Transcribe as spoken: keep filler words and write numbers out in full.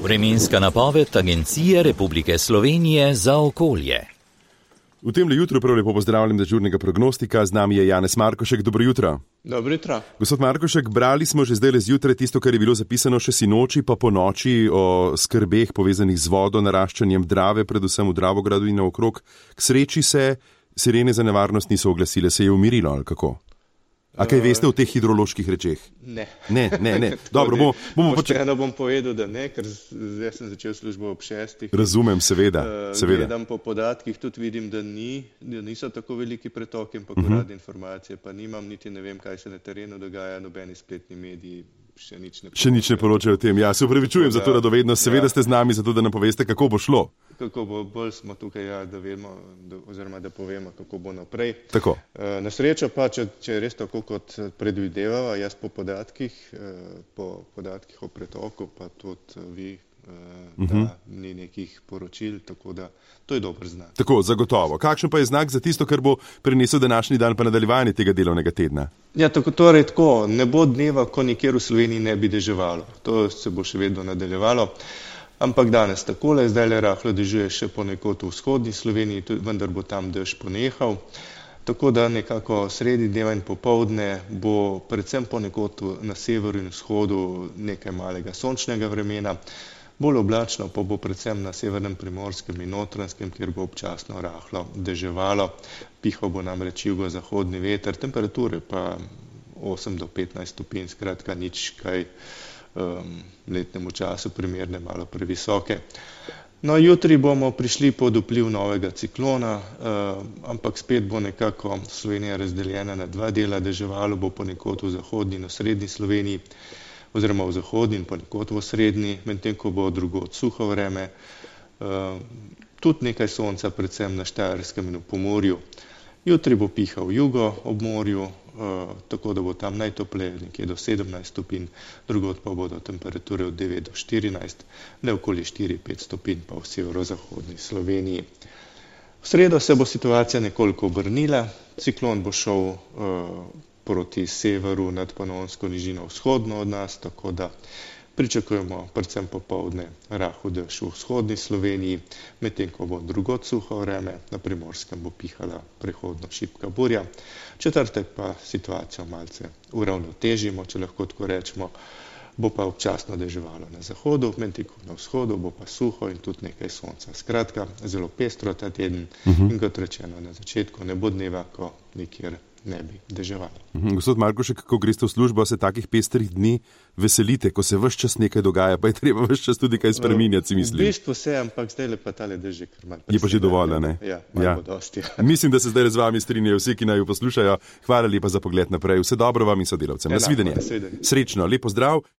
Vremenska napoved Agencije Republike Slovenije za okolje. V temle jutro prav lepo pozdravljam dežurnega prognostika, z nami je Janez Markošek. Dobro jutro. Dobro jutro. Gospod Markošek, brali smo že zdaj zjutraj tisto, kar je bilo zapisano še sinoči pa po noči o skrbeh povezanih z vodo, naraščanjem Drave, predvsem v Dravogradu in naokrog. K sreči se sirene za nevarnost niso oglasile, se je umirilo ali kako? A kaj veste o teh hidroloških rečeh? Ne. Ne, ne, ne. Dobro, bomo, bomo počeli. Pošteno bom povedal, da ne, ker zdaj sem začel službo ob šestih. Razumem, seveda, seveda. Gledam po podatkih, tudi vidim, da, ni, da niso tako veliki pretoki, ampak uh-huh. uradne informacije pa nimam, niti ne vem, kaj se na terenu dogaja, nobeni spletni mediji še nič ne poročajo. Še nič ne poročajo o tem. Ja, se upravičujem za to radovednost, seveda ja. Ste z nami zato, da nam poveste, kako bo šlo. Kako bo, bolj smo tukaj, ja, da vemo, da, oziroma da povemo, kako bo naprej. Tako. E, na srečo pa, če, če je res tako, kot predvidevava, jaz po podatkih, e, po podatkih o pretoku, pa tudi vi, e, da uh-huh. ni nekih poročil, tako da to je dober znak. Tako, zagotovo. Kakšen pa je znak za tisto, kar bo prinesel današnji dan pa nadaljevanje tega delovnega tedna? Ja, tako, torej tako, ne bo dneva, ko nikjer v Sloveniji ne bi deževalo. To se bo še vedno nadaljevalo. Ampak danes takole, zdaj le rahlo dežuje še ponekod v vzhodni Sloveniji, vendar bo tam dež ponehal. Tako da nekako sredi dneva in popoldne bo predvsem ponekod na severu in vzhodu nekaj malega sončnega vremena. Bolj oblačno pa bo predvsem na severnem Primorskem in Notranjskem, kjer bo občasno rahlo deževalo. Pihal bo namreč jugozahodni veter, temperature pa osem do petnajst stopinj, skratka nič kaj um, letnemu času primerne, malo previsoke. No, jutri bomo prišli pod vpliv novega ciklona, uh, ampak spet bo nekako Slovenija razdeljena na dva dela, deževalo bo ponekod v zahodni in v srednji Sloveniji, oziroma v zahodni in ponekod v srednji, medtem ko bo drugod suho vreme, uh, tudi nekaj sonca, predvsem na Štajerskem in v Pomurju. Jutri bo pihal jugo ob morju, uh, tako da bo tam najtopleje nekje do sedemnajst stopinj, drugod pa bodo temperature od devet do štirinajst, le okoli štiri do pet stopinj pa v severozahodni Sloveniji. V sredo se bo situacija nekoliko obrnila, ciklon bo šel uh, proti severu nad Panonsko nižino vzhodno od nas, tako da pričakujemo predvsem popoldne rahel dež v vzhodni Sloveniji, medtem ko bo drugod suho vreme, na Primorskem bo pihala prehodno šibka burja. Četrtek pa situacijo malce uravnotežimo, če lahko tako rečemo, bo pa občasno deževalo na zahodu, medtem ko na vzhodu bo pa suho in tudi nekaj sonca. Skratka, zelo pestro ta teden uh-huh. in kot rečeno na začetku ne bo dneva, ko nikjer ne bi deževalo. Mhm. Gospod Markošek, ko greste v službo, se takih pestrih dni veselite, ko se ves čas nekaj dogaja, pa je treba ves čas tudi kaj spreminjati, mislim. V bistvu se, ampak zdaj le pa tale dež je kar malo. Je pa že dovolj, ne? Ja, malo ja. bo dosti. Mislim, da se zdaj z vami strinjajo vsi, ki naj jo poslušajo. Hvala lepa za pogled naprej. Vse dobro vam in sodelavcem. Nasvidenje. Srečno, lep pozdrav.